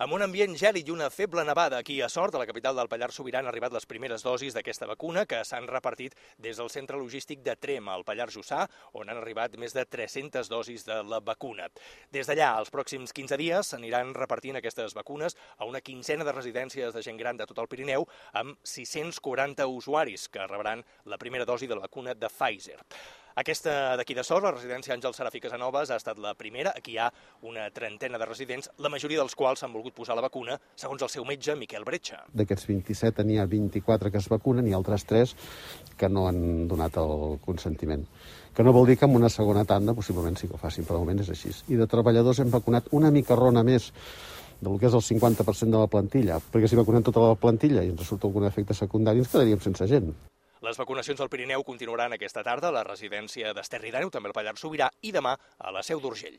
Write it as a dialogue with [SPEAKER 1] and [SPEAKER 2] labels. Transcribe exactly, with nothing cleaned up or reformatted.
[SPEAKER 1] Amb un ambient gèlid i una feble nevada aquí a Sort, a la capital del Pallars Sobirà, han arribat les primeres dosis d'aquesta vacuna que s'han repartit des del centre logístic de Trem, al Pallars Jussà, on han arribat més de tres-centes dosis de la vacuna. Des d'allà, els pròxims quinze dies, s'aniran repartint aquestes vacunes a una quinzena de residències de gent gran de tot el Pirineu, amb sis-cents quaranta usuaris que rebran la primera dosi de la vacuna de Pfizer. Aquesta d'aquí de Sort, la residència Àngel Serafí Casanovas, ha estat la primera. Aquí hi ha una trentena de residents, la majoria dels quals s'han volgut posar la vacuna, segons el seu metge, Miquel Bretxa.
[SPEAKER 2] D'aquests vint-i-set n'hi ha vint-i-quatre que es vacunen i altres tres que no han donat el consentiment. Que no vol dir que en una segona tanda possiblement sí que ho facin, però de moment és així. I de treballadors hem vacunat una mica rona més del que és el cinquanta per cent de la plantilla, perquè si vacunem tota la plantilla i ens surt algun efecte secundari ens quedaríem sense gent.
[SPEAKER 1] Les vacunacions al Pirineu continuaran aquesta tarda a la residència d'Esterri d'Àneu, també al Pallars Sobirà, i demà a la Seu d'Urgell.